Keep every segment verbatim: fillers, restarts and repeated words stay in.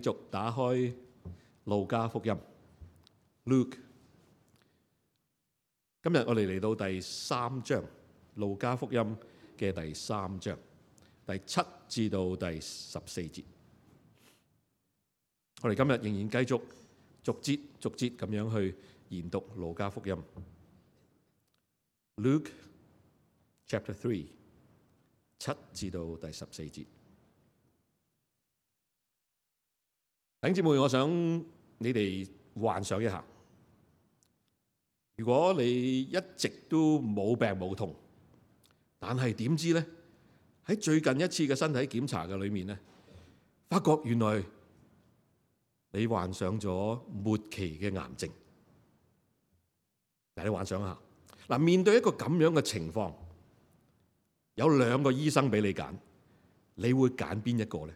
繼續打開路加福音 Luke， 今日我哋嚟到第三章，路加福音嘅第三章第七至到第十四節。我哋今日仍然繼續逐節逐節咁樣去研讀路加福音 Luke Chapter Three， 七至到第十四節。弟兄姊妹，我想你哋幻想一下，如果你一直都冇病冇痛，但係點知咧喺最近一次嘅身體檢查嘅裏面咧，發覺原來你患上咗末期嘅癌症。嗱，你幻想一下，嗱，面對一個咁樣嘅情況，有兩個醫生俾你揀，你會揀邊一個咧？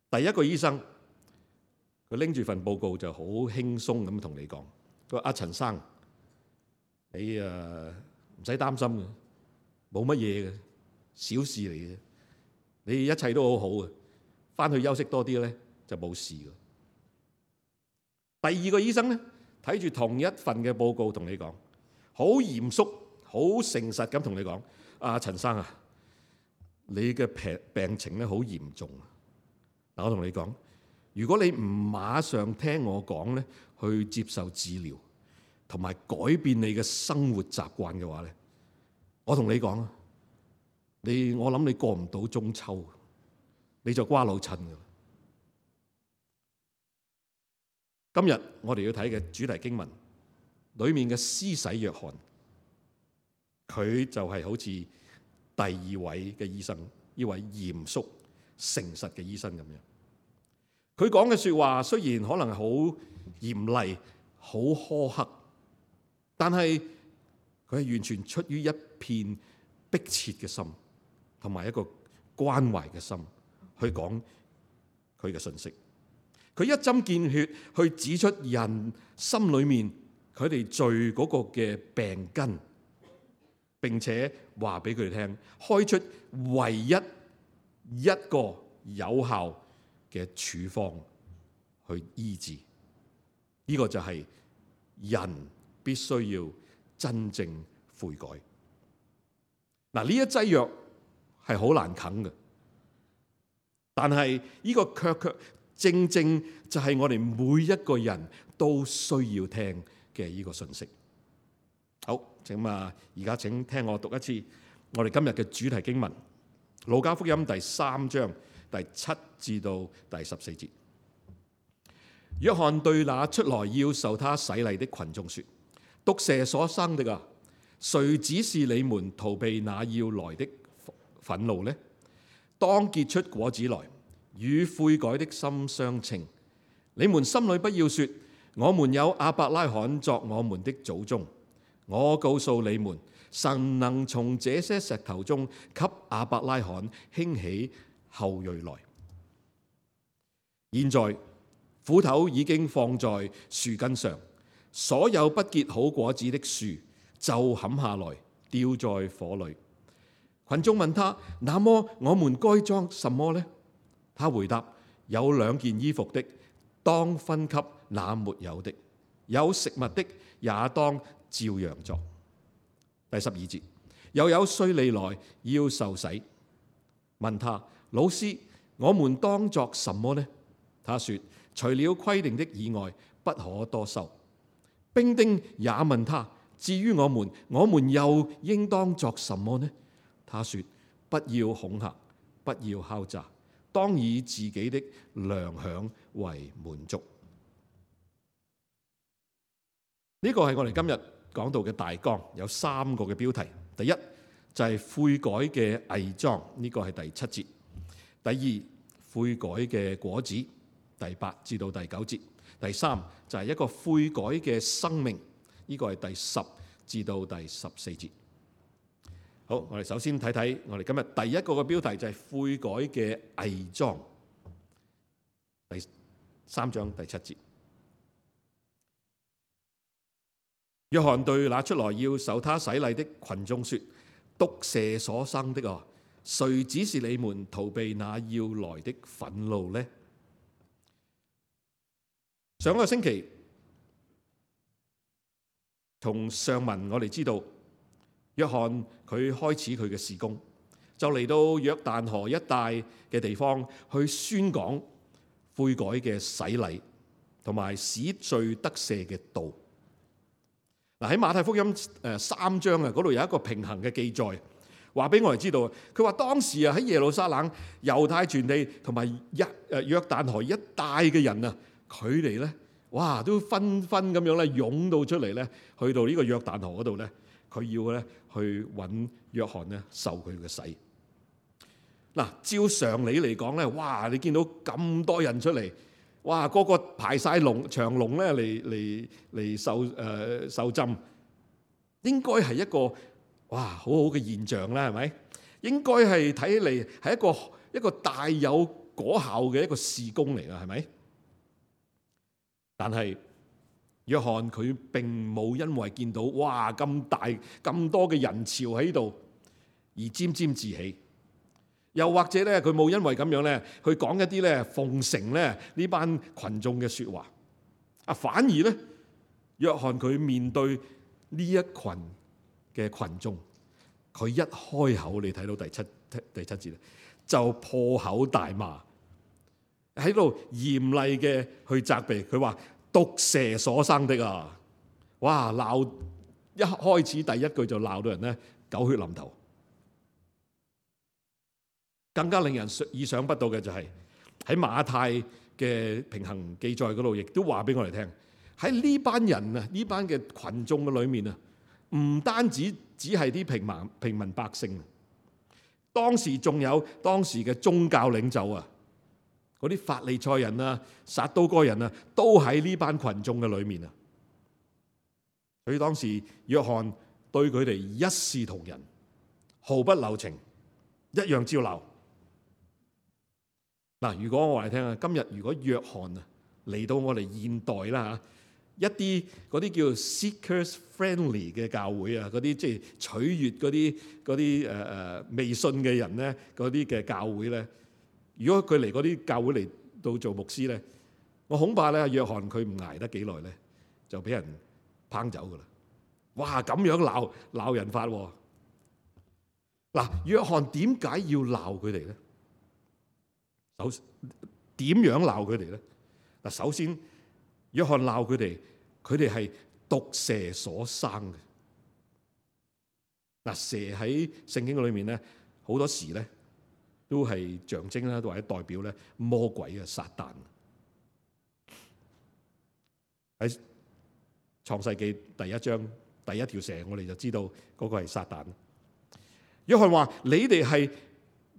第一個醫生，佢拎住份報告就好輕鬆咁同你講，佢話：阿陳生，你誒唔使擔心嘅，冇乜嘢嘅，小事嚟嘅，你一切都好好嘅，翻去休息多啲咧就冇事嘅。第二個醫生咧，睇住同一份嘅報告同你講，好嚴肅、好誠實咁同你講：阿陳生啊，你嘅病病情咧好嚴重啊！嗱，我同你講，如果你唔馬上聽我講咧，去接受治療，同埋改變你嘅生活習慣嘅話咧，我同你講啊，你我諗你過唔到中秋，你就瓜老襯噶啦。今日我哋要睇嘅主題經文裏面嘅施洗約翰，佢就係好似第二位嘅醫生，呢位嚴肅誠實嘅醫生咁樣。佢講嘅說話雖然可能係好嚴厲、好苛刻，但係佢係完全出於一片迫切嘅心，同埋一個關懷嘅心去講佢嘅信息。佢一針見血去指出人心裏面佢哋罪嗰個嘅病根，並且話俾佢哋聽，開出唯一一個有效嘅處方去醫治。呢個就係人必須要真正悔改。嗱，呢一劑藥係好難啃嘅，但係呢個卻卻正正就係我哋每一個人都需要聽嘅呢個信息。好，請啊，而家請聽我讀一次我哋今日嘅主題經文，路加福音第三章第七至到第十四節。約翰對那出來要受他洗禮的群眾說：毒蛇所生的啊，誰指示你們逃避那要來的憤怒呢？當結出果子來，與悔改的心相稱。你們心裏不要說：我們有亞伯拉罕作我們的祖宗。我告訴你們，神能從這些石頭中給亞伯拉罕興起後裔來。現在斧頭已經放在樹根上，所有不結好果子的樹就砍下來，丟在火裏。群眾問他：那麼我們該裝什麼呢？他回答：有兩件衣服的，當分給那沒有的；有食物的，也當照樣作。第十二節，又有稅吏來要受洗，問他：老師，我們當作什麼呢？他說：除了規定的以外，不可多收。兵丁也問他：至於我們，我們又應當作什麼呢？他說：不要恐嚇，不要敲詐，當以自己的糧餉為滿足。呢個係我哋今日講到嘅大綱，有三個嘅標題。第一就係悔改嘅偽裝，呢個係第七節。第二，悔改嘅果子，第八至到第九節。第三就係一個悔改嘅生命，呢個係第十至到第十四節。好，我哋首先睇睇我哋今日第一個嘅標題就係悔改嘅偽裝，第三章第七節。約翰對那出來要受他洗禮的群眾說：毒蛇所生的啊，誰指示你們逃避那要來的憤怒呢？上個星期從上文我哋知道，約翰佢開始佢嘅事工，就嚟到約旦河一帶嘅地方去宣講悔改嘅洗禮同埋使罪得赦嘅道。嗱，喺馬太福音誒三章啊，嗰度有一個平衡嘅記載，話俾我哋知道。佢話當時啊喺耶路撒冷、猶太全地同埋一誒約旦河一帶嘅人啊，佢哋咧哇都紛紛咁樣咧湧到出嚟咧，去到呢個約旦河嗰度咧，佢要咧去揾約翰咧受佢嘅洗。嗱，照常理嚟講咧，哇！你見到咁多人出嚟，哇！個個排晒龍長龍咧嚟嚟嚟受誒、呃、受浸，應該係一個哇好好嘅現象啦，係咪？應該係睇起嚟係一個一個大有果效嘅一個事工嚟㗎，係咪？但係約翰佢並冇因為見到哇咁大咁多嘅人潮喺度而沾沾自喜。又或者咧，佢冇因為咁樣咧，去講一啲咧奉承咧呢班群眾嘅説話。啊，反而咧，約翰佢面對呢一群嘅群眾，佢一開口，你睇到第七第七節咧，就破口大罵，喺度嚴厲嘅去責備。佢話毒蛇所生的啊！哇，鬧一開始第一句就鬧到人咧狗血淋頭。更加令人意想不到嘅就係喺馬太嘅平行記載嗰度，亦都話俾我哋聽，喺呢班人啊，呢班嘅群眾嘅裏面啊，唔單止只係啲平民平民百姓，當時仲有當時嘅宗教領袖啊，嗰啲法利賽人啊、撒都該人啊，都喺呢班群眾嘅裏面啊。所以當時約翰對佢哋一視同仁，毫不留情，一樣照鬧。嗱，如果我話你聽啊，今日如果約翰啊嚟到我哋現代啦嚇，一啲嗰啲叫 seekers friendly 嘅教會啊，嗰啲即係取悅嗰啲嗰啲誒誒未信嘅人咧，嗰啲嘅教會咧，如果佢嚟嗰啲教會嚟到做牧師咧，我恐怕咧約翰佢唔捱得幾耐咧，就俾人拚走噶啦。哇，咁樣鬧鬧人法喎！嗱，約翰點解要鬧佢哋咧？首點樣鬧佢哋咧？嗱，首先約翰鬧佢哋，佢哋係毒蛇所生嘅。嗱，蛇喺聖經裏面咧，好多時咧都係象徵啦，或者代表咧魔鬼嘅撒旦。喺創世記第一章第一條蛇，我哋就知道嗰個係撒旦。約翰話：你哋係。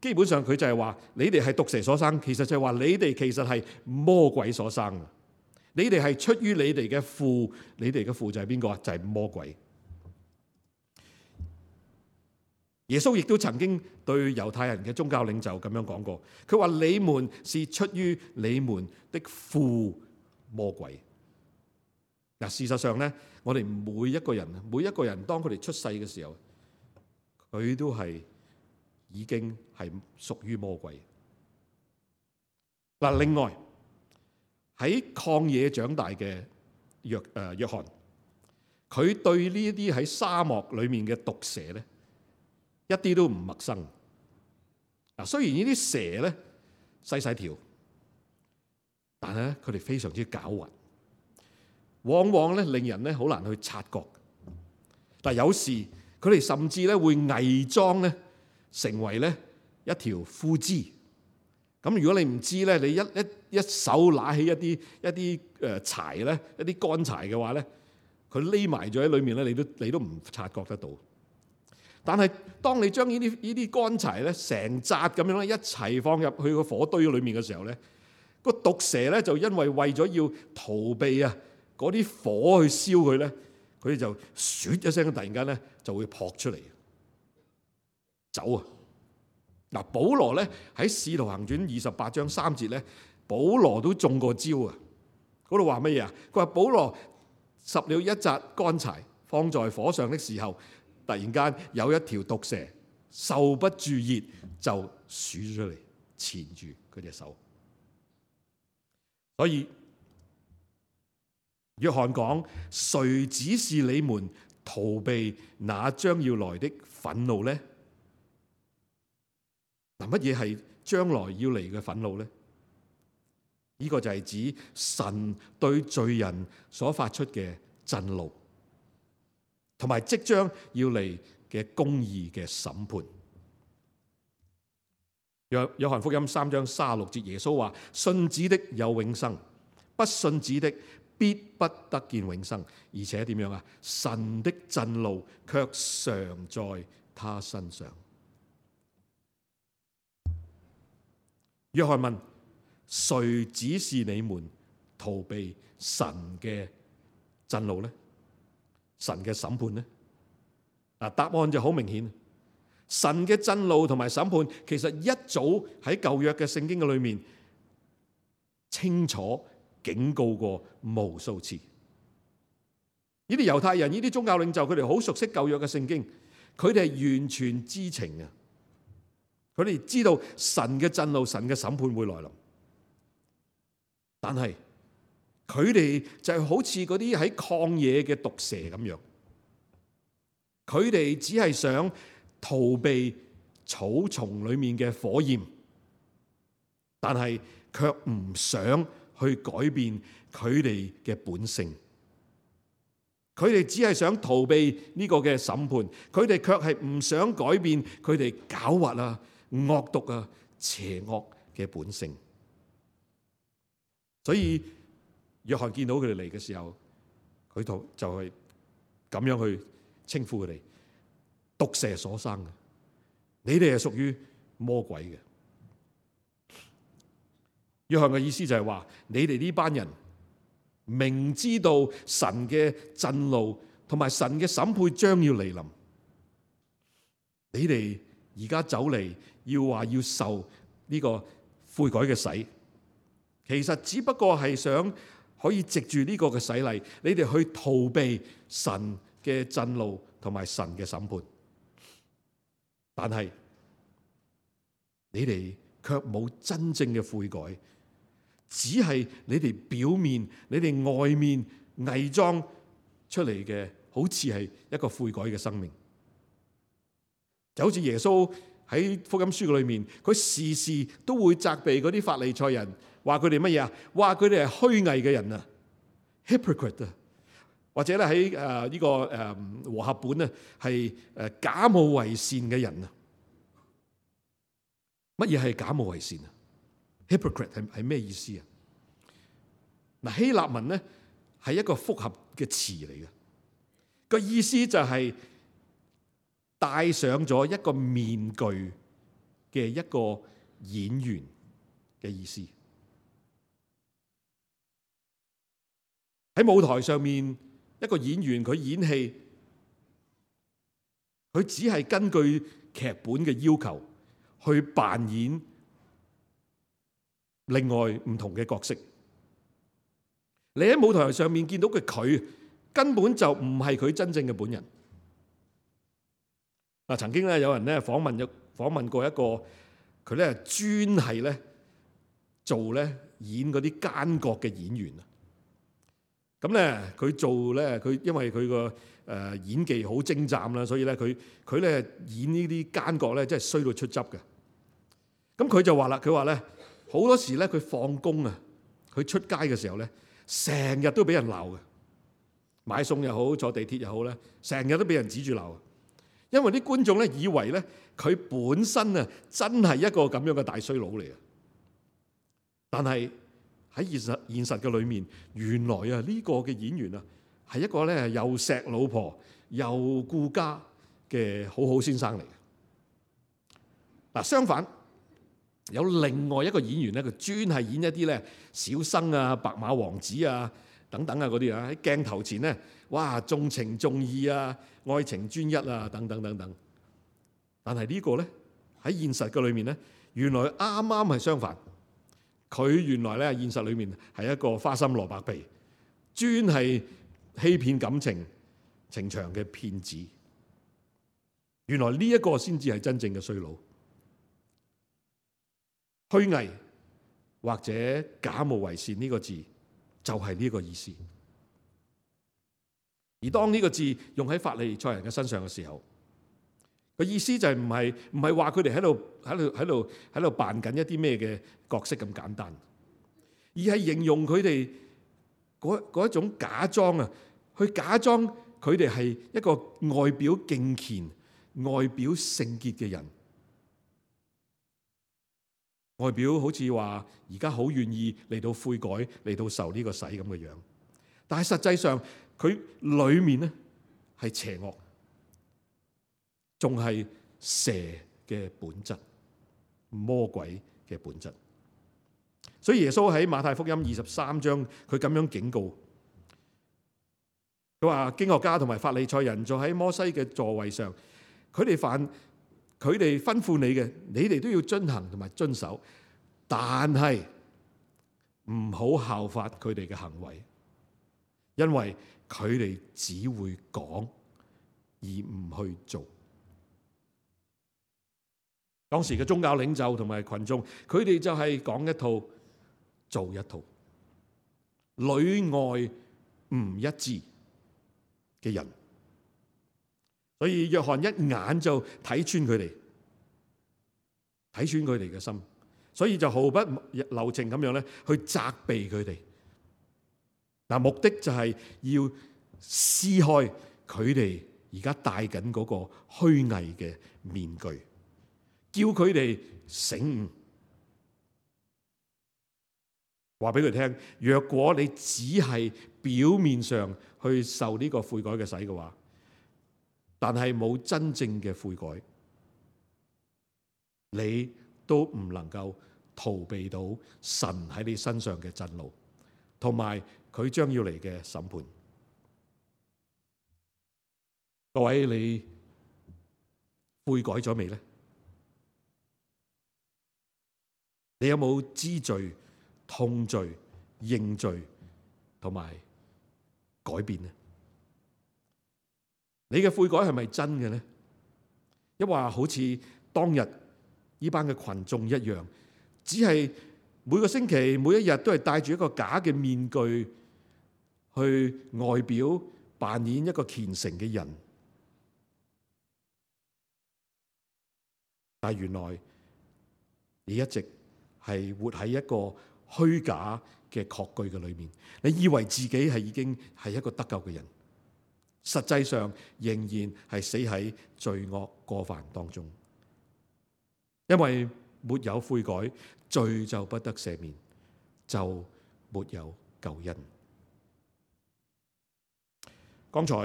基本上佢就係話你哋係毒蛇所生，其實就係話你哋其實係魔鬼所生。你哋係出於你哋嘅父，你哋嘅父就係邊個啊？就係魔鬼。耶穌亦都曾經對猶太人嘅宗教領袖咁樣講過，佢話你們是出於你們的父魔鬼。嗱，事實上咧，我哋每一個人，每一個人當佢哋出世嘅時候，佢都係。已經係屬於魔鬼。嗱，另外喺曠野長大嘅約誒約翰，佢對呢一啲喺沙漠裏面嘅毒蛇咧，一啲都唔陌生。嗱，雖然呢啲蛇咧細細條，但係咧佢哋非常之狡猾，往往咧令人咧好難去察覺。但係有時佢哋甚至咧會偽裝咧。成為咧一條枯枝，咁如果你唔知咧，你一一一手拿起一啲一啲誒柴咧，一啲乾柴嘅話咧，佢匿埋咗喺裏面咧，你都你都唔察覺得到。但係當你將呢啲呢啲乾柴咧成紮咁樣咧一齊放入去個火堆裏面嘅時候咧，個毒蛇咧就因為為咗要逃避啊嗰啲火去燒佢咧，佢哋就唰一聲，突然間咧就會撲出嚟。走啊！嗱，保羅咧喺《使徒行傳》二十八章三節咧，保羅都中過招啊！嗰度話乜嘢啊？佢話保羅拾了一紮乾柴放在火上的時候，突然間有一條毒蛇受不住熱就鼠咗出嚟，纏住佢隻手。所以約翰講：誰指示你們逃避那將要來的憤怒呢？嗱，乜嘢係將來要嚟嘅憤怒呢？呢個就係指神對罪人所發出嘅震怒，同埋即將要嚟嘅公義嘅審判。約約翰福音三章三十六節，耶穌話：信子的有永生，不信子的必不得見永生。而且點樣啊？神的震怒卻常在他身上。約翰問：誰指示你們逃避神嘅震怒呢？神嘅審判呢？啊，答案就好明顯。神嘅震怒同埋審判，其實一早喺舊約嘅聖經嘅裏面清楚警告過無數次。呢啲猶太人、呢啲宗教領袖，佢哋好熟悉舊約嘅聖經，佢哋係完全知情嘅。佢哋知道神嘅震怒、神嘅審判會來臨，但係佢哋就係好似嗰啲喺曠野嘅毒蛇咁樣，佢哋只係想逃避草叢裏面嘅火焰，但係卻唔想去改變佢哋嘅本性。佢哋只係想逃避呢個嘅審判，佢哋卻係唔想改變佢哋狡猾啊、惡毒啊、邪惡嘅本性。所以約翰見到佢哋嚟嘅時候，佢就就係咁樣去稱呼佢哋：毒蛇所生嘅，你哋係屬於魔鬼嘅。約翰嘅意思就係話：你哋呢班人明知道神嘅震怒同埋神嘅審判將要嚟臨，你哋而家走嚟要話要受呢個悔改嘅洗，其實只不過係想可以藉住呢個嘅洗禮，你哋去逃避神嘅震怒同埋神嘅審判。但係你哋卻冇真正嘅悔改，只係你哋表面、你哋外面偽裝出嚟嘅，好似係一個悔改嘅生命。就好似耶穌喺福音書裏面，佢時時都會責備嗰啲法利賽人，話佢哋乜嘢啊？話佢哋係虛偽嘅人啊 ，hypocrite 啊，或者咧喺誒呢個誒和合本咧係誒假冒為善嘅人啊。乜嘢係假冒為善啊？ hypocrite 係係咩意思啊？嗱，希臘文咧係一個複合嘅詞嚟嘅，個意思就係戴上咗一個面具嘅一個演員嘅意思。喺舞台上面，一個演員佢演戲，佢只係根據劇本嘅要求去扮演另外唔同嘅角色。你喺舞台上面見到嘅佢，根本就唔係佢真正嘅本人。嗱，曾經咧有人咧訪問咗訪問過一個佢咧專係咧做咧演嗰啲奸角嘅演員啊。咁咧佢做咧佢因為佢個誒演技好精湛啦，所以咧佢佢咧演呢啲奸角咧真係衰到出汁嘅。咁佢就話啦，佢話咧好多時咧佢放工啊，佢出街嘅時候咧，成日都俾人鬧嘅，買餸又好，坐地鐵又好咧，成日都俾人指住鬧。因為啲觀眾咧以為咧佢本身啊真係一個咁樣嘅大衰佬嚟嘅，但係喺現實現實嘅裏面，原來啊呢個嘅演員啊係一個咧又錫老婆又顧家嘅好好先生嚟嘅。嗱，相反有另外一個演員咧，佢專係演一啲咧小生啊、白馬王子啊等等啊嗰啲啊，喺鏡頭前咧，哇重情重義啊、愛情專一啊等等等等。但係呢個咧喺現實嘅裏面咧，原來啱啱係相反。佢原來咧現實裏面係一個花心蘿蔔皮，專係欺騙感情情場嘅騙子。原來呢一個先至係真正嘅衰佬。虛偽或者假冒為善呢個字就係呢個意思。而當呢個字用喺法利賽人嘅身上嘅時候，個意思就係唔係唔係話佢哋喺度喺度喺度喺度扮緊一啲咩嘅角色咁簡單，而係形容佢哋嗰嗰一種假裝啊，去假裝佢哋係一個外表敬虔、外表聖潔嘅人，外表好似話而家好願意嚟到悔改、嚟到受呢個洗咁嘅樣，但係實際上佢裏面咧係邪惡，仲係蛇嘅本質、魔鬼嘅本質。所以耶穌喺馬太福音二十三章，佢咁樣警告，佢話經學家同埋法利賽人坐喺摩西嘅座位上，佢哋犯佢哋吩咐你嘅，你哋都要遵行同埋遵守，但係唔好效法佢哋嘅行為，因為佢哋只會講而唔去做。當時嘅宗教領袖同埋群眾，佢哋就係講一套做一套，裏外唔一致嘅人。所以約翰一眼就睇穿佢哋，睇穿佢哋嘅心，所以就毫不留情咁樣咧去責備佢哋。嗱，目的就係要撕開佢哋而家戴緊嗰個虛偽嘅面具，叫佢哋醒悟，話俾佢聽：若果你只係表面上去受呢個悔改嘅洗嘅話，但係冇真正嘅悔改，你都唔能夠逃避到神喺你身上嘅震怒，同埋佢將要嚟嘅審判。各位，你悔改咗未呢？你有冇知罪、痛罪、認罪同埋改變呢？你嘅悔改係咪真嘅呢？抑或好似當日呢班嘅群眾一樣，只係每個星期每一日都係戴住一個假嘅面具，去外表扮演一個虔誠嘅人，但係原來你一直係活喺一個虛假嘅確據嘅裏面，你以為自己係已經係一個得救嘅人，實際上仍然係死喺罪惡過犯當中，因為沒有悔改，罪就不得赦免，就沒有救恩。剛才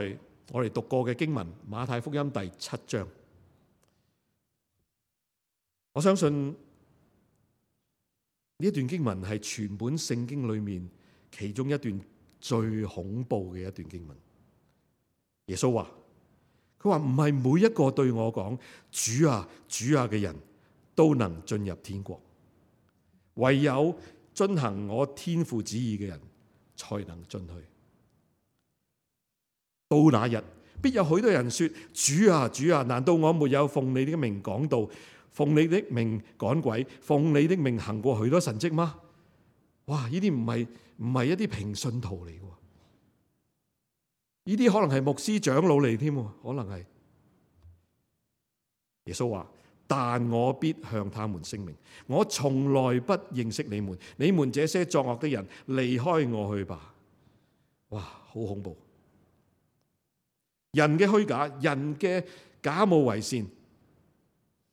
我哋讀過嘅經文馬太福音第七章，我相信呢一段經文係全本聖經裏面其中一段最恐怖嘅一段經文。耶穌話：佢話唔係每一個對我講主啊主啊嘅人都能進入天國，唯有遵行我天父旨意嘅人才能進去。到那日，必有許多人說：主啊主啊，難道我沒有奉你的名講道，奉你的名趕鬼，奉你的名行過許多神蹟嗎？哇！呢啲唔係唔係一啲平信徒嚟嘅，呢啲可能係牧師長老嚟添，可能係。耶穌話：但我必向他們聲明，我從來不認識你們，你們這些作惡的人，離開我去吧。哇，好恐怖！人嘅虛假，人嘅假冒為善，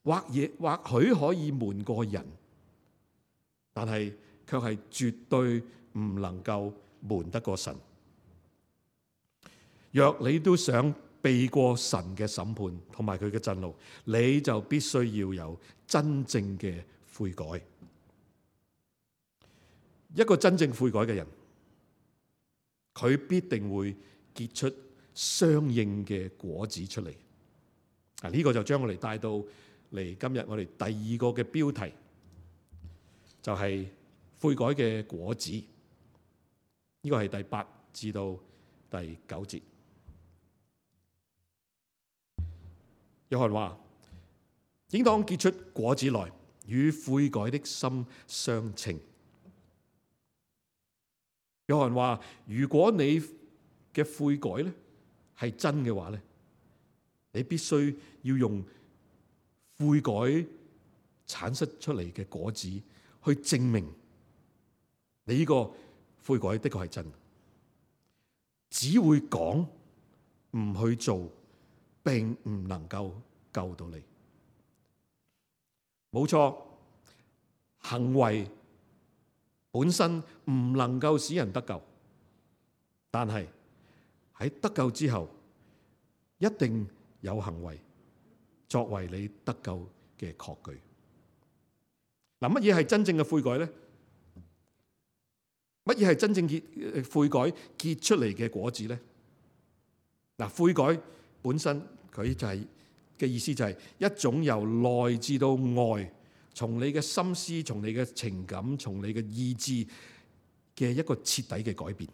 或也或許可以瞞過人，但係卻係絕對唔能夠瞞得過神。若你都想避過神嘅審判同埋佢嘅震怒，你就必須要有真正嘅悔改。一個真正悔改嘅人，佢必定會結出相應嘅果子出嚟。啊，呢個就將我哋帶到嚟今日我哋第二個嘅標題，就係悔改嘅果子。呢個係第八至到第九節。約翰話：應當結出果子來，與悔改的心相稱。約翰話：如果你嘅悔改咧係真嘅話咧，你必須要用悔改產生出嚟嘅果子去證明你呢個悔改的確係真。只會講唔去做，並唔能夠救到你。冇錯，行為本身唔能夠使人得救，但係喺得救之後，一定有行為作為你得救嘅確據。嗱，乜嘢係真正嘅悔改咧？乜嘢係真正結悔改結出嚟嘅果子咧？嗱，悔改本身佢就係、是、嘅意思就係一種由內至到外，從你嘅心思、從你嘅情感、從你嘅意志嘅一個徹底嘅改變，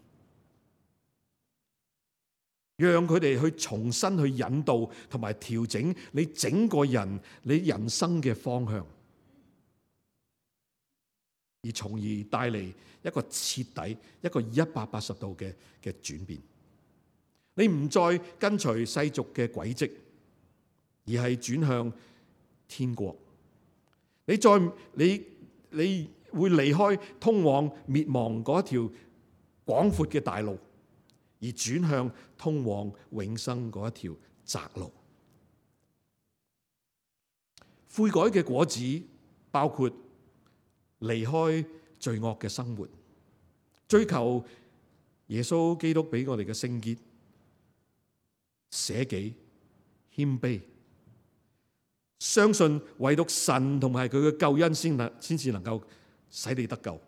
讓佢哋去重新去引導同埋調整你整個人、你人生嘅方向，而從而帶嚟一個徹底、一個一百八十度嘅嘅轉變。你唔再跟隨世俗嘅軌跡，而係轉向天國。你再你你會離開通往滅亡嗰一條廣闊嘅大路，而轉向通往永生嗰一條窄路。悔改嘅果子包括離開罪惡嘅生活，追求耶穌基督俾我哋嘅聖潔、捨己、謙卑，相信唯獨神同埋佢嘅救恩先能先至能夠使你得救，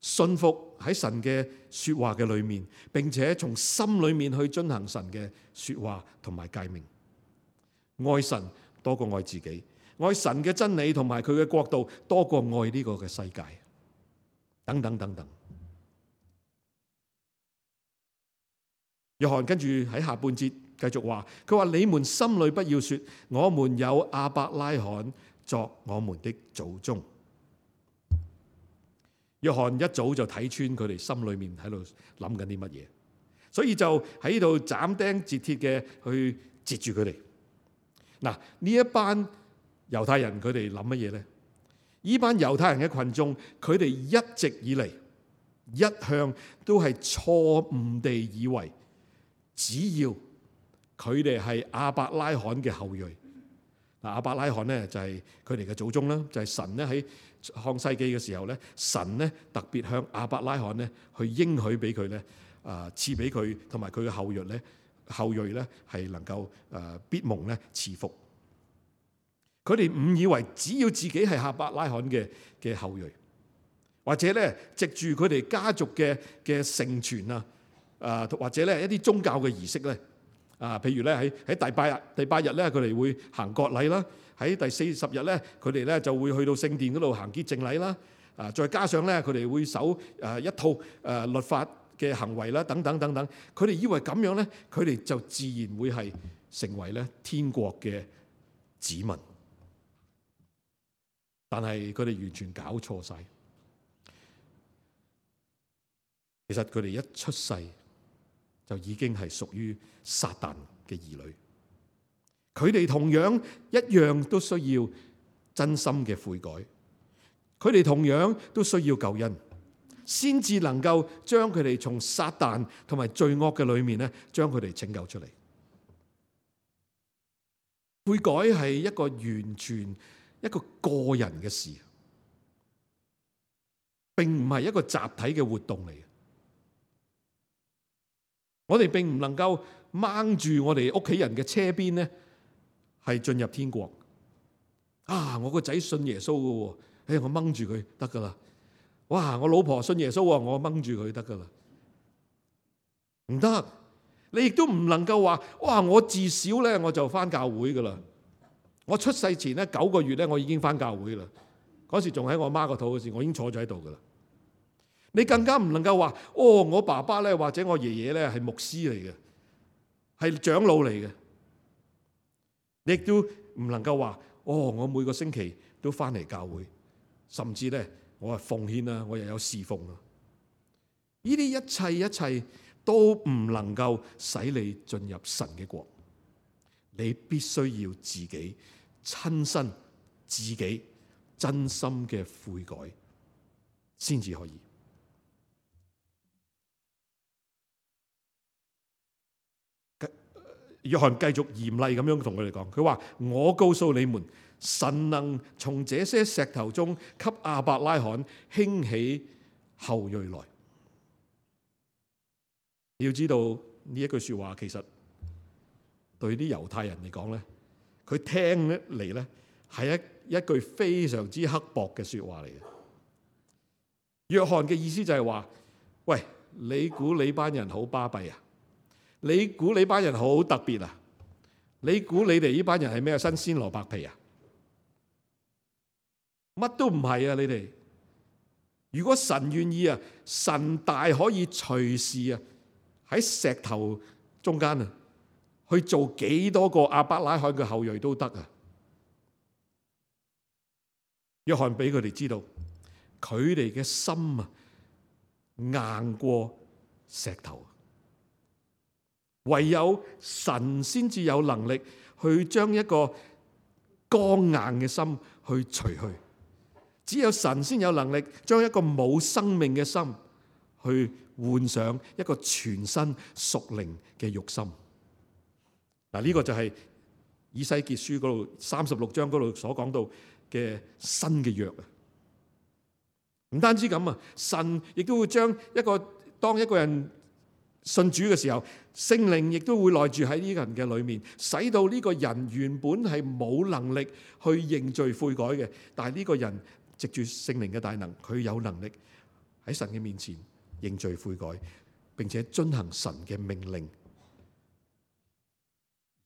信服喺神嘅說話嘅裏面，並且從心裏面去遵行神嘅說話同埋誡命，愛神多過愛自己，愛神嘅真理同埋佢嘅國度多過愛呢個嘅世界，等等等等。約翰跟住喺下半節繼續話，佢話你們心裏不要說，我們有亞伯拉罕作我們的祖宗。約翰一早就睇穿佢哋心裏面喺度諗緊啲乜嘢，所以就喺度斬釘截鐵嘅去截住佢哋。嗱，呢一班猶太人佢哋諗乜嘢咧？呢班猶太人嘅群眾，佢哋一直以嚟一向都係錯誤地以為，只要佢哋係亞伯拉罕嘅後裔，嗱，亞伯拉罕咧就係佢哋嘅祖宗啦，就係、是、神咧喺創世記嘅時候咧，神咧特別向亞伯拉罕咧去應許俾佢咧，啊賜俾佢同埋佢嘅後裔咧，後裔咧係能夠誒必蒙咧賜福。佢哋誤以為只要自己係亞伯拉罕嘅嘅後裔，或者咧藉住佢哋家族嘅嘅承傳啊，啊或者咧一啲宗教嘅儀式咧，啊譬如咧喺喺第八日第八日咧佢哋會行割禮啦，喺第四十日咧佢哋咧就會去到聖殿嗰度行潔淨禮啦，啊再加上咧佢哋會守誒一套誒律法嘅行為啦，等等等等，佢哋以為咁樣咧，佢哋就自然會係成為咧天國嘅子民。但係佢哋完全搞錯晒，其實佢哋一出世就已經係屬於撒旦嘅兒女。佢哋同樣一樣都需要真心嘅悔改，佢哋同樣都需要救恩，先至能夠將佢哋從撒旦同埋罪惡嘅裏面咧，將佢哋拯救出嚟。悔改係一個完全一個個人嘅事，並唔係一個集體嘅活動嚟嘅。我哋並唔能夠掹住我哋屋企人嘅車邊咧，係進入天國。啊，我個仔信耶穌嘅，誒，我掹住佢得噶啦。哇，我老婆信耶穌，我掹住佢得噶啦。唔得，你亦都唔能夠話，哇，我自小咧我就返教會噶啦。我出世前咧九個月咧，我已經返教會啦。嗰時仲喺我媽個肚嗰時，我已經坐咗喺度噶啦。你更加唔能夠話，哦，我爸爸咧或者我爺爺咧係牧師嚟嘅，係長老嚟嘅。你亦都唔能夠話，哦，我每個星期都返嚟教會，甚至咧我係奉獻啦，我又有侍奉啦。呢啲一切一切都唔能夠使你進入神嘅國。你必須要自己親身、自己真心嘅悔改，先至可以。約翰繼續嚴厲咁樣同佢哋講，佢話：我告訴你們，神能從這些石頭中給亞伯拉罕興起後裔來。你要知道呢一句說話，其實對啲猶太人嚟講咧，佢聽嚟咧係一一句非常之刻薄嘅說話嚟嘅。約翰嘅意思就係話：喂，你估你班人好巴閉啊？你估你班人好特別啊？你估你哋呢班人係咩新鮮蘿蔔皮啊？乜都唔係啊！你哋如果神願意啊，神大可以隨時啊喺石頭中間啊去做幾多個亞伯拉罕嘅後裔都得啊！約翰俾佢哋知道，佢哋嘅心啊硬過石頭。唯有神先至有能力去將一個剛硬嘅心去除去，只有神先有能力將一個冇生命嘅心去換上一個全新屬靈嘅肉心。嗱，呢個就係以西結書嗰度三十六章嗰度所講到嘅新嘅約啊！唔單止咁啊，神亦都會將一個當一個人信主嘅時候，聖靈亦都會內住喺呢個人嘅裏面，使到呢個人原本係冇能力去認罪悔改嘅，但係呢個人藉住聖靈嘅大能，佢有能力喺神嘅面前認罪悔改，並且遵行神嘅命令，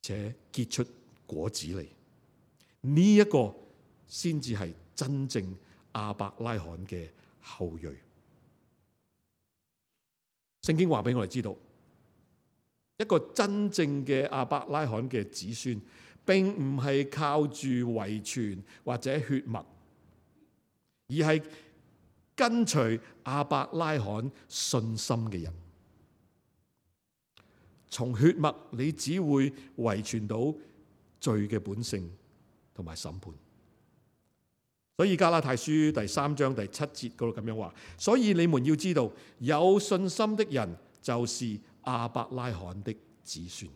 而且結出果子嚟。呢一個先至係真正亞伯拉罕嘅後裔。聖經話俾我哋知道，一個真正嘅亞伯拉罕嘅子孫，並唔係靠住遺傳或者血脈，而係跟隨亞伯拉罕信心嘅人。從血脈你只會遺傳到罪嘅本性同埋審判。所以加拉太書第三章第七節嗰度咁樣話，所以你們要知道，有信心的人就是亞伯拉罕的子孫。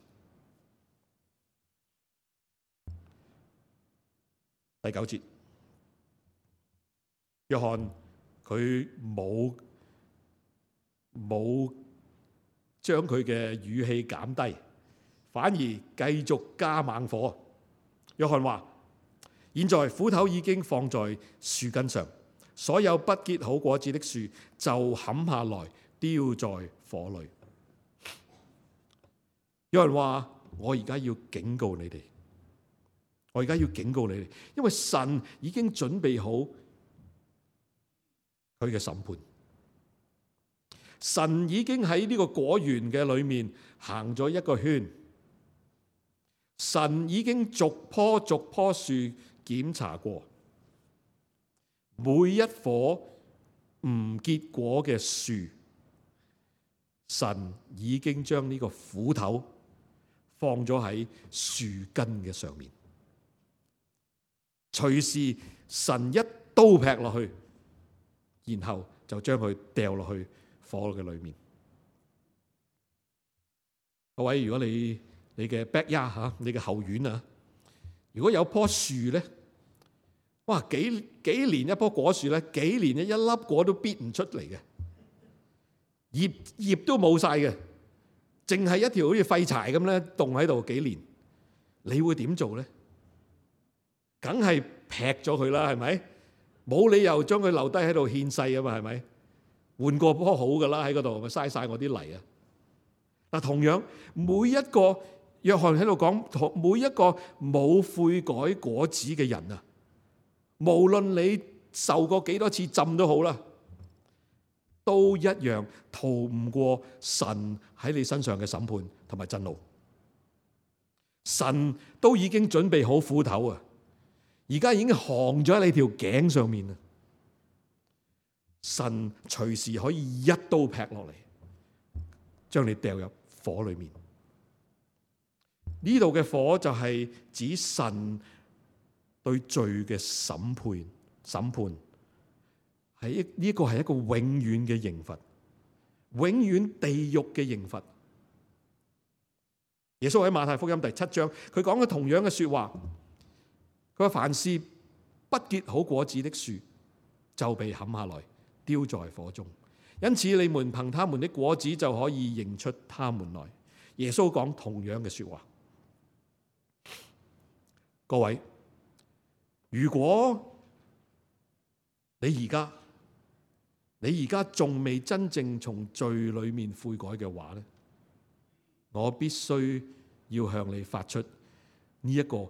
第九節，約翰佢冇冇將佢嘅語氣減低，反而繼續加猛火。約翰話：現在斧頭已經放在樹根上，所有不結好果子的樹就砍下來丟在火裏。有人話：我而家要警告你哋，我而家要警告你哋，因為神已經準備好佢嘅審判。神已經喺呢個果園嘅裏面行咗一個圈，神已經逐棵逐棵樹檢查過，每一棵唔結果嘅樹，神已經將呢個斧頭放咗喺樹根嘅上面，隨時神一刀劈落去，然後就將佢掉落去火嘅裏面。各位，如果你你嘅 backyard 吓，你嘅後院啊，如果有棵樹咧，哇，幾幾年一棵果樹咧，幾年一粒果都逼唔出嚟嘅，葉葉都冇晒嘅，淨係一條好似廢柴咁咧，凍喺度幾年，你會點做咧？梗係劈咗佢啦，係咪？冇理由將佢留低喺度獻世啊嘛，係咪？換過棵好噶啦，喺嗰度咪嘥晒我啲泥啊！嗱，同樣每一個約翰喺度講，每一個冇悔改果子嘅人啊，無論你受過幾多次浸都好啦，都一樣逃唔過神喺你身上嘅審判同埋震怒。神都已經準備好斧頭啊，而家已經行咗喺你條頸上面啊！神隨時可以一刀劈落嚟，將你掉入火裏面。呢度嘅火就係指神對罪嘅審判，審判係呢個係一個永遠嘅刑罰，永遠地獄嘅刑罰。耶穌喺馬太福音第七章，佢講嘅同樣嘅說話，佢話凡是不結好果子的樹，就被砍下來，丟在火中。因此你們憑他們的果子就可以認出他們來。耶穌講同樣嘅說話。各位，如果你而家你而家仲未真正從罪裏面悔改嘅話咧，我必須要向你發出呢一個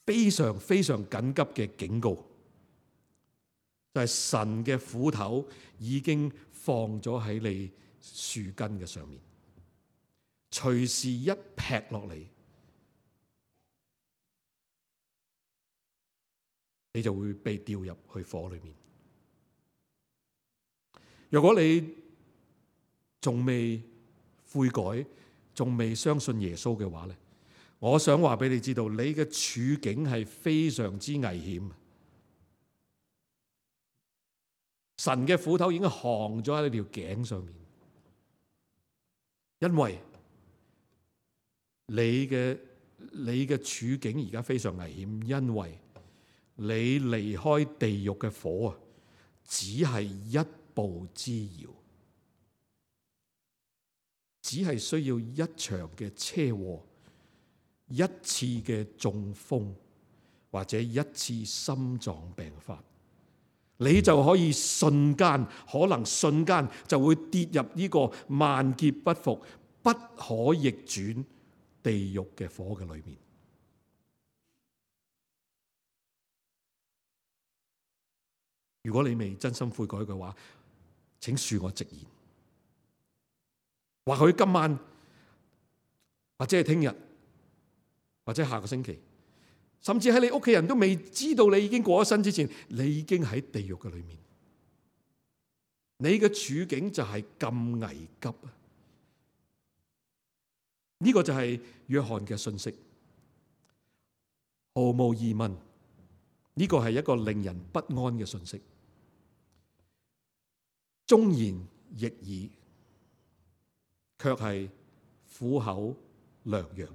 非常非常緊急嘅警告，就係神嘅斧頭已經放咗喺你樹根嘅上面，隨時一劈落嚟，你就會被掉入去火裏面。如果你仲未悔改，仲未相信耶穌嘅話咧，我想話俾你知道，你嘅處境係非常之危險。神嘅斧頭已經行咗喺你條頸上面，因為你嘅你嘅處境而家非常危險，因為你離開地獄嘅火啊，只係一步之遙，只係需要一場嘅車禍，一次嘅中風，或者一次心臟病發，你就可以瞬間，可能瞬間就會跌入呢個萬劫不復、不可逆轉地獄嘅火嘅裏面。如果你未真心悔改嘅話，請恕我直言。或許今晚，或者係聽日，或者下個星期，甚至喺你屋企人都未知道你已經過咗身之前，你已經喺地獄嘅裏面。你嘅處境就係咁危急啊！呢個就係約翰嘅信息，毫無疑問，呢個係一個令人不安嘅信息。忠言逆耳，卻係苦口良藥。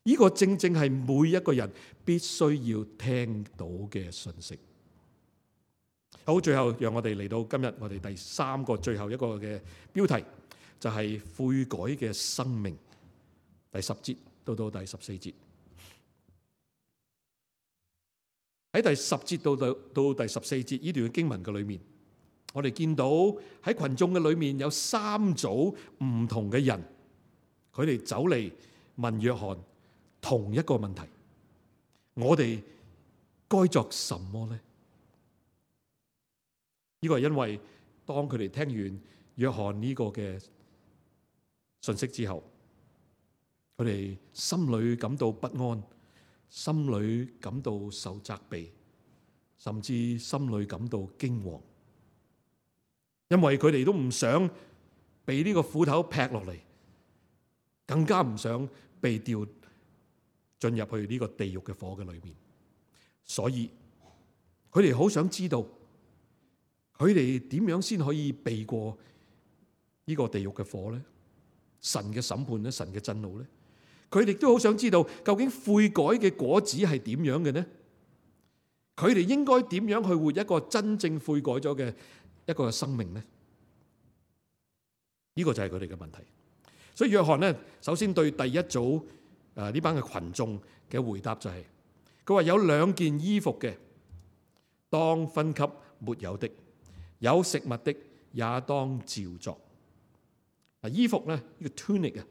呢個正正係每一個人必須要聽到嘅信息。好，最後讓我哋嚟到今日我哋第三個最後一個嘅標題，就係悔改嘅生命。第十節到到第十四節。喺第十節到到到第十四節呢段經文嘅裏面，我哋見到喺群眾嘅裏面有三組唔同嘅人，佢哋走嚟問約翰同一個問題：我哋該作什麼呢？呢個係因為當佢哋聽完約翰呢個嘅信息之後，佢哋心裏感到不安，心裏感到受責備，甚至心裏感到驚惶。因為佢哋都唔想被呢個斧頭劈落嚟，更加唔想被掉進入去呢個地獄嘅火嘅裏面，所以佢哋好想知道，佢哋點樣先可以避過呢個地獄嘅火呢？神嘅審判呢？神嘅震怒呢？佢哋都好想知道，究竟悔改嘅果子係點樣嘅呢？佢哋應該點樣去活一個真正悔改咗嘅一個生命呢？呢個就係佢哋嘅問題。所以約翰呢，首先對第一組誒呢班嘅群眾嘅回答就係，佢話有兩件衣服嘅，當分給沒有的；有食物的，也當照作。嗱，衣服咧，呢個 tunic 啊，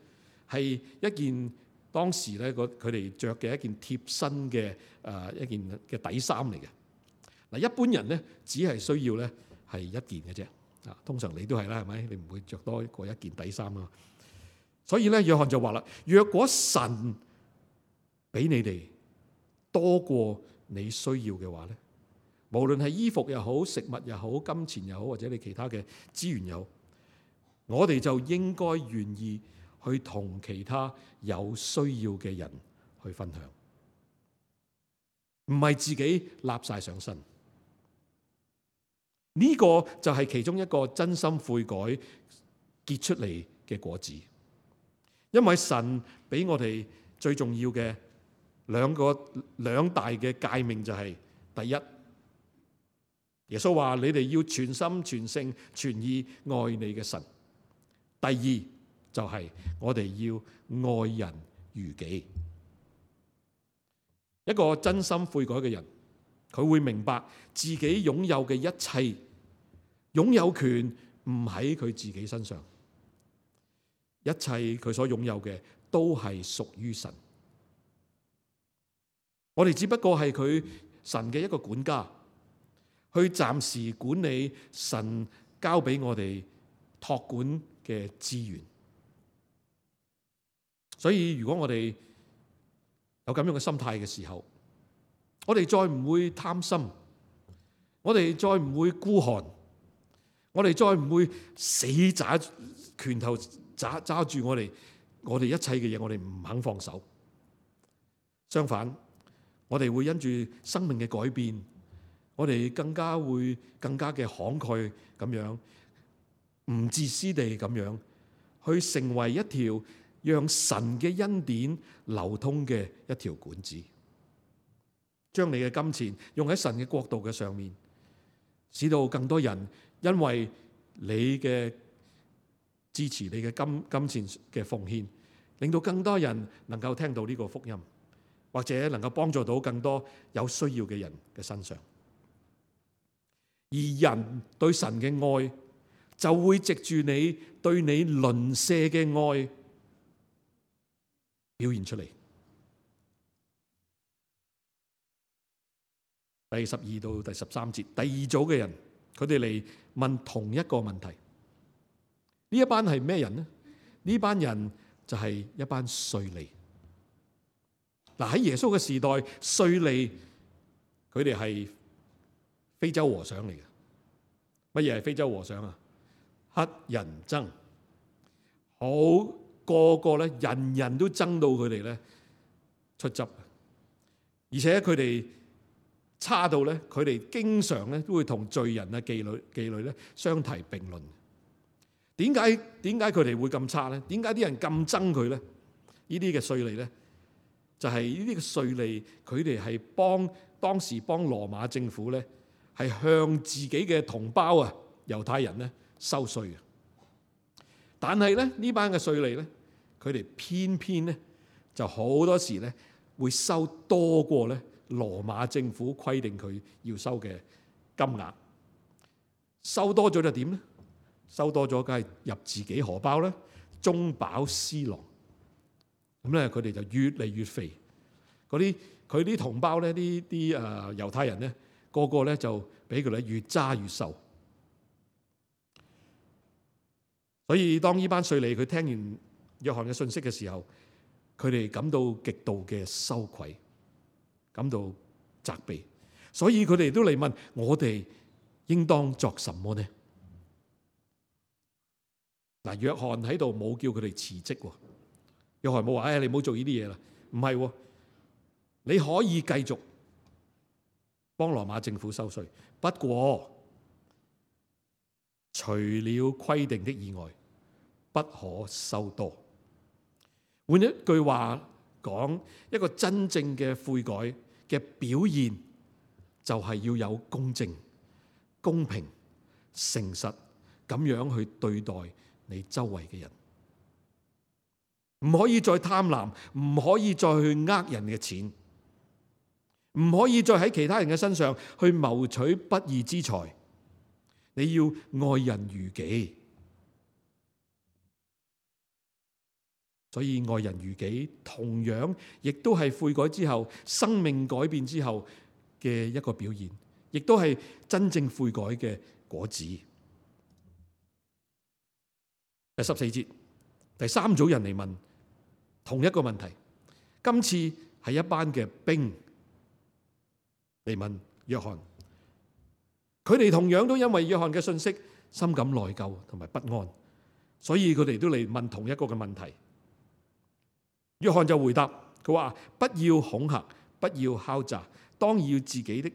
係一件當時咧個佢哋着嘅一件貼身嘅誒一件嘅底衫嚟嘅。嗱，一般人咧只係需要咧係一件嘅啫。啊，通常你都係啦，係咪？你唔會着多過一件底衫啊。所以咧，約翰就話啦：若果神俾你哋多過你需要嘅話咧，無論係衣服又好、食物又好、金錢又好，或者你其他嘅資源又好，我哋就應該願意去同其他有需要嘅人去分享，唔係自己立晒上身。呢個就係其中一個真心悔改結出嚟嘅果子。因為神俾我哋最重要嘅兩個兩大嘅誡命就係：第一，耶穌話你哋要全心全性全意愛你嘅神；第二就係我哋要愛人如己。一個真心悔改嘅人，佢會明白自己擁有嘅一切擁有權唔喺佢自己身上，一切佢所擁有嘅都係屬於神。我哋只不過係佢神嘅一個管家，去暫時管理神交俾我哋託管嘅資源。所以如果我哋有咁樣嘅心態嘅時候，我哋再唔會貪心，我哋再唔會孤寒，我哋再唔會死揸拳頭揸揸住我哋我哋一切嘅嘢，我哋唔肯放手。相反，我哋會因住生命嘅改變，我哋更加會更加嘅慷慨咁樣，唔自私地咁樣去成為一條讓神嘅恩典流通嘅一條管子，將你嘅金錢用喺神嘅國度嘅上面，使到更多人因為你嘅支持，你嘅金金錢嘅奉獻，令到更多人能夠聽到呢個福音，或者能夠幫助到更多有需要嘅人嘅身上。而人對神嘅愛就會藉住你對你鄰舍嘅愛表現出嚟。第十二到第十三節，第二組嘅人，佢哋嚟問同一個問題。呢一班係咩人呢？呢班人就係一班稅吏。嗱，喺耶穌嘅時代，稅吏佢哋係非洲和尚嚟嘅。乜嘢係非洲和尚啊？乞人憎，好個個咧，人人都憎到佢哋咧出汁，而且佢哋差到咧，佢哋經常咧都會同罪人啊、妓女、妓女咧相提並論。點解點解佢哋會咁差咧？點解啲人咁憎佢咧？呢啲嘅稅吏咧，就係呢啲嘅稅吏，佢哋係幫當時幫羅馬政府咧，係向自己嘅同胞啊猶太人咧收稅嘅。但係咧呢班嘅稅吏咧，佢哋偏偏咧就好多時咧會收多過咧羅馬政府規定佢要收嘅金額。收多咗就點咧？收多咗梗係入自己荷包啦，中飽私囊。咁咧佢哋就越嚟越肥。嗰啲佢啲同胞咧，啲啲誒猶太人咧，個個咧就俾佢哋越揸越瘦。所以當呢班稅吏佢聽完約翰嘅信息嘅時候，佢哋感到極度嘅羞愧，感到責備。所以佢哋都嚟問我哋應當作什麼呢？嗱，約翰喺度冇叫佢哋辭職喎。約翰冇話：哎，你唔好做呢啲嘢啦。唔係喎，你可以繼續幫羅馬政府收稅，不過除了規定的以外，不可收多。換一句話講，一個真正嘅悔改嘅表現，就係要有公正、公平、誠實咁樣去對待你周圍嘅人，唔可以再貪婪，唔可以再去呃人嘅錢，唔可以再喺其他人嘅身上去謀取不義之財。你要愛人如己，所以愛人如己同樣亦都係悔改之後、生命改變之後嘅一個表現，亦都係真正悔改嘅果子。第十四節，第三組人嚟問同一個問題，今次係一班嘅兵嚟問約翰，佢哋同樣都因為約翰嘅信息深感內疚同埋不安，所以佢哋都嚟問同一個嘅問題。約翰就回答佢話：不要恐嚇，不要敲詐，當要自己的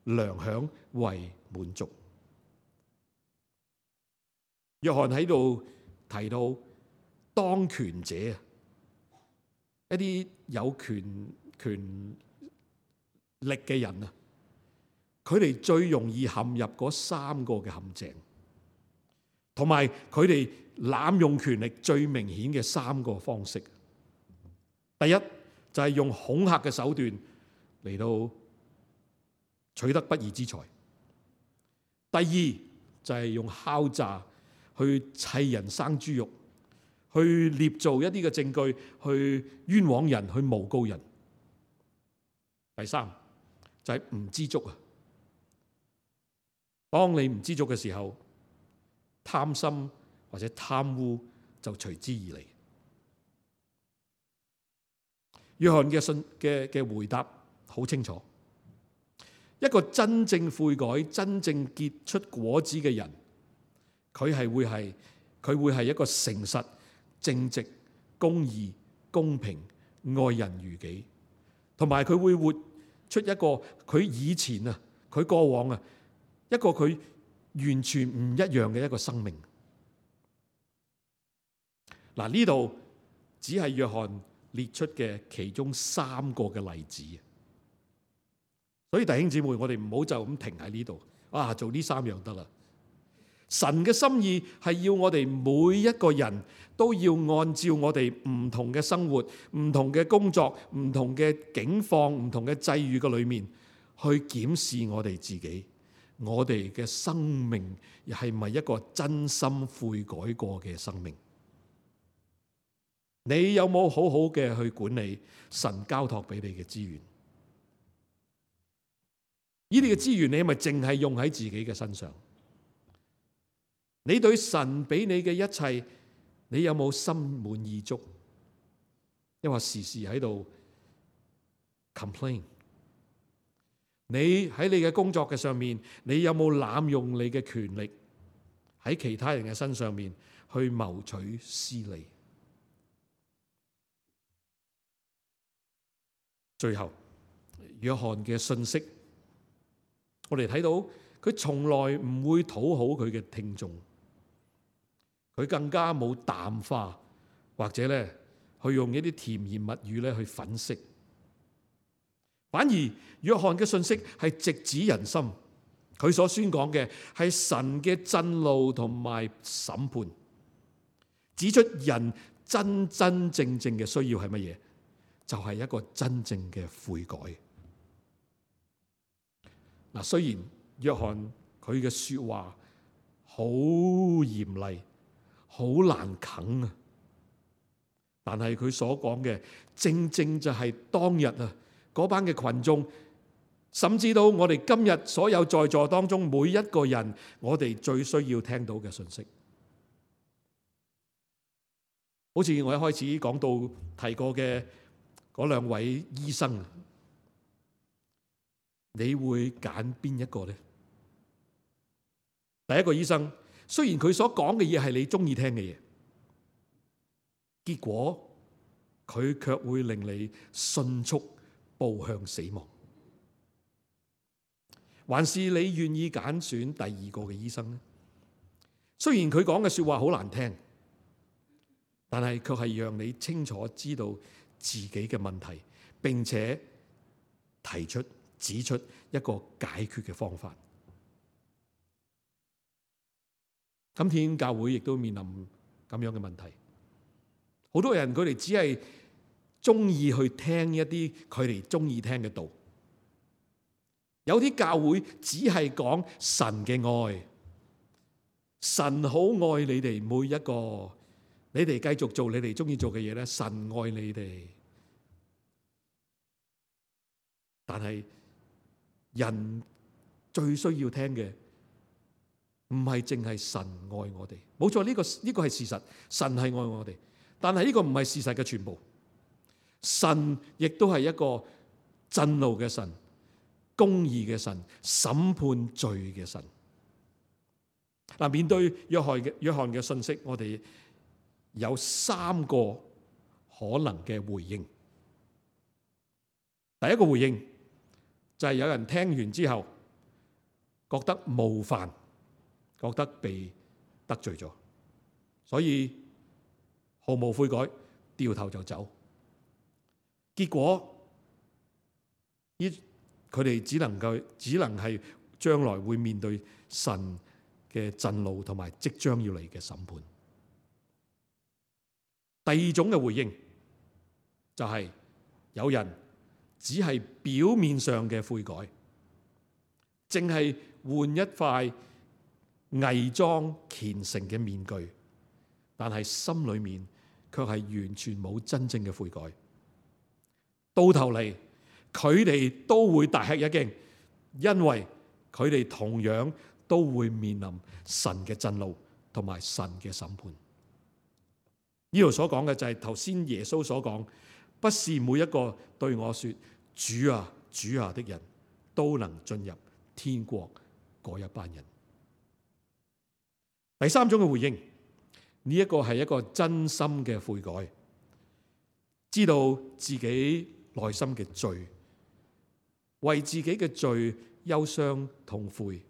糧餉為滿足。約翰喺度提到當權者，一啲有權權力嘅人啊，佢哋最容易陷入嗰三個嘅陷阱，同埋佢哋濫用權力最明顯嘅三個方式。第一就係用恐嚇嘅手段嚟到取得不義之財；第二就係用敲詐去砌人生豬肉，去捏造一啲嘅證據，去冤枉人，去誣告人；第三就係唔知足啊！當你唔知足嘅時候，貪心或者貪污就隨之而嚟。約翰嘅信嘅嘅回答好清楚，一個真正悔改、真正結出果子嘅人，佢係會係佢會係一個誠實、正直、公義、公平、愛人如己，同埋佢會活出一個佢以前啊，佢過往啊，一個佢完全唔一樣嘅一個生命。嗱，呢度只係約翰列出嘅其中三個嘅例子，所以弟兄姊妹，我哋唔好就咁停喺呢度啊，做呢三樣得啦。神嘅心意係要我哋每一個人都要按照我哋唔同嘅生活、唔同嘅工作、唔同嘅境況、唔同嘅際遇嘅裏面，去檢視我哋自己，我哋嘅生命係咪一個真心悔改過嘅生命？你有冇好好嘅去管理神交託俾你嘅資源？呢啲嘅資源你係咪淨係用喺自己嘅身上？你對神俾你嘅一切，你有冇心滿意足？抑或時時喺度 complain？ 你喺你嘅工作嘅上面，你有冇濫用你嘅權力喺其他人嘅身上面去謀取私利？最後，約翰嘅信息，我哋睇到佢從來唔會討好佢嘅聽眾，佢更加冇淡化或者咧去用一啲甜言蜜語咧去粉飾，反而約翰嘅信息係直指人心，佢所宣講嘅係神嘅震怒同埋審判，指出人真真正正嘅需要係乜嘢？就係一個真正嘅悔改。嗱，雖然約翰佢嘅說話好嚴厲、好難啃啊，但係佢所講嘅正正就係當日啊嗰班嘅群眾，甚至到我哋今日所有在座當中每一個人，我哋最需要聽到嘅信息。好似我一開始講到提過嘅嗰兩位醫生，你會揀邊一個呢？第一個醫生，雖然佢所講嘅嘢係你中意聽嘅嘢，結果佢卻會令你迅速步向死亡。還是你願意揀選第二個嘅醫生呢？雖然佢講嘅說話好難聽，但係卻係讓你清楚知道自己嘅問題，並且提出指出一個解決嘅方法。今天教會亦都面臨咁樣嘅問題，好多人佢哋只係中意去聽一啲佢哋中意聽嘅道，有啲教會只係講神嘅愛，神好愛你哋每一個。你哋繼續做你哋中意做嘅嘢咧，神愛你哋。但係人最需要聽嘅唔係淨係神愛我哋，冇錯，呢個呢個係事實，神係愛我哋。但係呢個唔係事實嘅全部，神亦都係一個震怒嘅神、公義嘅神、審判罪嘅神。嗱，面對約翰嘅約翰嘅信息，我哋有三個可能嘅回應。第一個回應就係有人聽完之後覺得冒犯，覺得被得罪咗，所以毫無悔改，掉頭就走。結果呢，佢哋只能夠只能係將來會面對神嘅震怒同埋即將要嚟嘅審判。第二種嘅回應就係有人只係表面上嘅悔改，淨係換一塊偽裝虔誠嘅面具，但係心裏面卻係完全冇真正嘅悔改。到頭嚟，佢哋都會大吃一驚，因為佢哋同樣都會面臨神嘅震怒同埋神嘅審判。呢度所講嘅就係頭先耶穌所講，不是每一個對我說主啊主啊的人都能進入天國嗰一班人。第三種嘅回應，呢一個係一個真心嘅悔改，知道自己內心嘅罪，為自己嘅罪憂傷痛悔，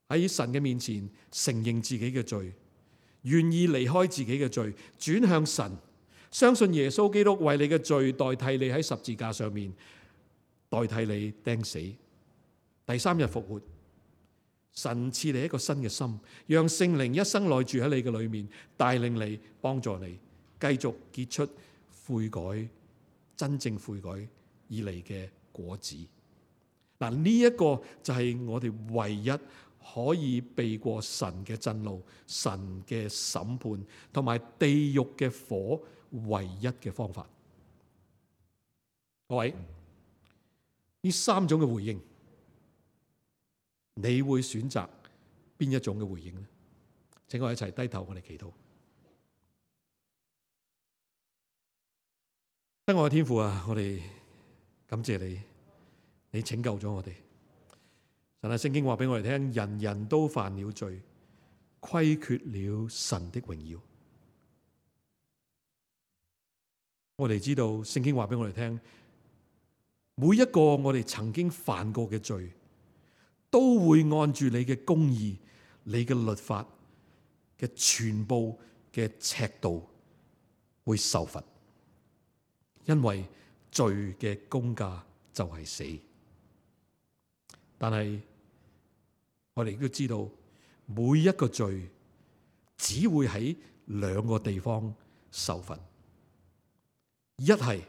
喺神嘅面前承認自己嘅罪，願意離開自己嘅罪，轉向神，相信耶穌基督為你嘅罪代替你喺十字架上面，代替你釘死，第三日復活。神賜你一個新嘅心，讓聖靈一生內住喺你嘅裏面，帶領你，幫助你繼續結出悔改、真正悔改而嚟嘅果子。嗱，呢一個就係我哋唯一可以避過神嘅震怒、神嘅審判同埋地獄嘅火唯一嘅方法。各位，呢三種嘅回應，你會選擇邊一種嘅回應呢？請我一齊低頭，我哋祈禱。親愛嘅天父啊，我哋感謝你，你拯救咗我哋。神啊，聖經話俾我哋聽，人人都犯了罪，虧缺了神的榮耀。我哋知道聖經話俾我哋聽，每一個我哋曾經犯過嘅罪，都會按住你嘅公義、你嘅律法嘅全部嘅尺度會受罰，因為罪嘅工價就係死。但係我哋亦都知道，每一個罪只會喺兩個地方受罰，一係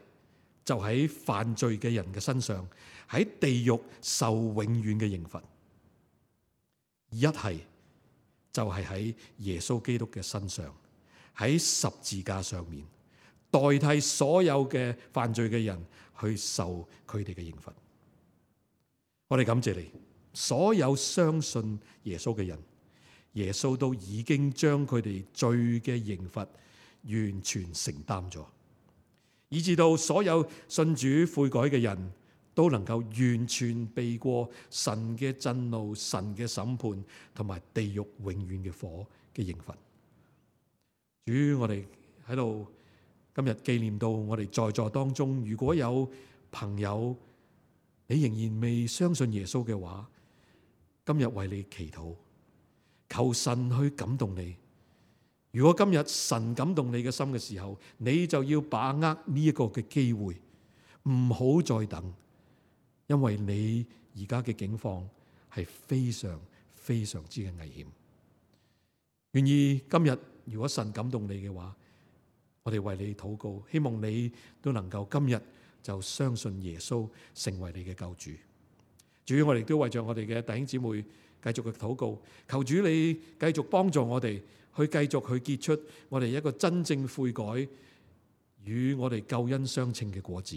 就喺犯罪嘅人嘅身上，喺地獄受永遠嘅刑罰；一係就係喺耶穌基督嘅身上，喺十字架上面代替所有嘅犯罪嘅人去受佢哋嘅刑罰。我哋感謝你，所有相信耶穌嘅人，耶穌都已經將佢哋罪嘅刑罰完全承擔咗，以至到所有信主悔改嘅人都能夠完全避過神嘅震怒、神嘅審判同埋地獄永遠嘅火嘅刑罰。主，我哋喺度今日紀念到我哋在座當中，如果有朋友你仍然未相信耶穌嘅話，今日為你祈禱，求神去感動你。如果今日神感動你嘅心嘅時候，你就要把握呢一個嘅機會，唔好再等，因為你而家嘅境況係非常非常之嘅危險。願意今日如果神感動你嘅話，我哋為你禱告，希望你都能夠今日就相信耶穌成為你嘅救主。主，我哋都為着我哋嘅弟兄姊妹繼續嘅禱告，求主你繼續幫助我哋去繼續去結出我哋一個真正悔改與我哋救恩相稱嘅果子，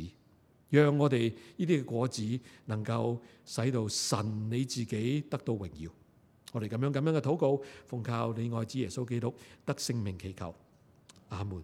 讓我哋呢啲嘅果子能夠使到神你自己得到榮耀。我哋咁樣咁樣嘅禱告，奉靠你愛子耶穌基督得聖名祈求，阿門。